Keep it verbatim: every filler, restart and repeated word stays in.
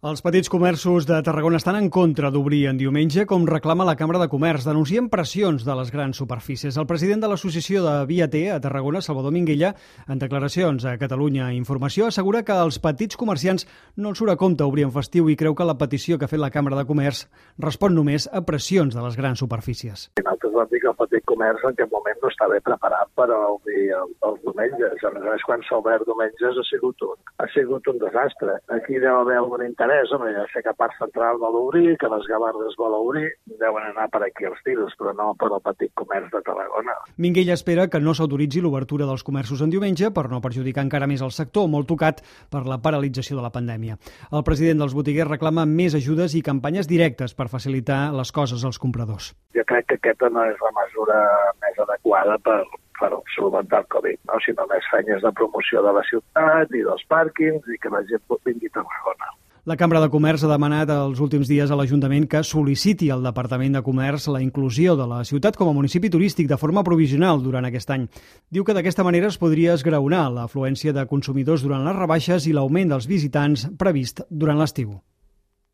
Els petits comerços de Tarragona estan en contra d'obrir en diumenge, com reclama la Cambra de Comerç. Denuncien pressions de les grans superfícies. El president de l'associació de Via T a Tarragona, Salvador Minguella, en declaracions a Catalunya Informació, assegura que els petits comerciants no els surt a compte obrir en festiu i creu que la petició que ha fet la Cambra de Comerç respon només a pressions de les grans superfícies. Nosaltres vam dir que el petit comerç en aquest moment no està bé preparat per obrir els diumenges. A més a més, quan s'ha obert diumenges ha sigut un, ha sigut un desastre. Aquí deu haver algun interès. Home, ja sé que Parc Central vol obrir, que les Gavardes vol obrir, deuen anar per aquí els tiros, però no per al petit comerç de Tarragona. Minguella espera que no s'autoritzi l'obertura dels comerços en diumenge per no perjudicar encara més el sector, molt tocat per la paralització de la pandèmia. El president dels botiguers reclama més ajudes i campanyes directes per facilitar les coses als compradors. Jo crec que aquesta no és la mesura més adequada per per solventar el Covid, no? Sinó més feines de promoció de la ciutat i dels pàrquings i que la gent vingui a Tarragona. La Cambra de Comerç ha demanat els últims dies a l'Ajuntament que sol·liciti al Departament de Comerç la inclusió de la ciutat com a municipi turístic de forma provisional durant aquest any. Diu que d'aquesta manera es podria esgraonar l'afluència de consumidors durant les rebaixes i l'augment dels visitants previst durant l'estiu.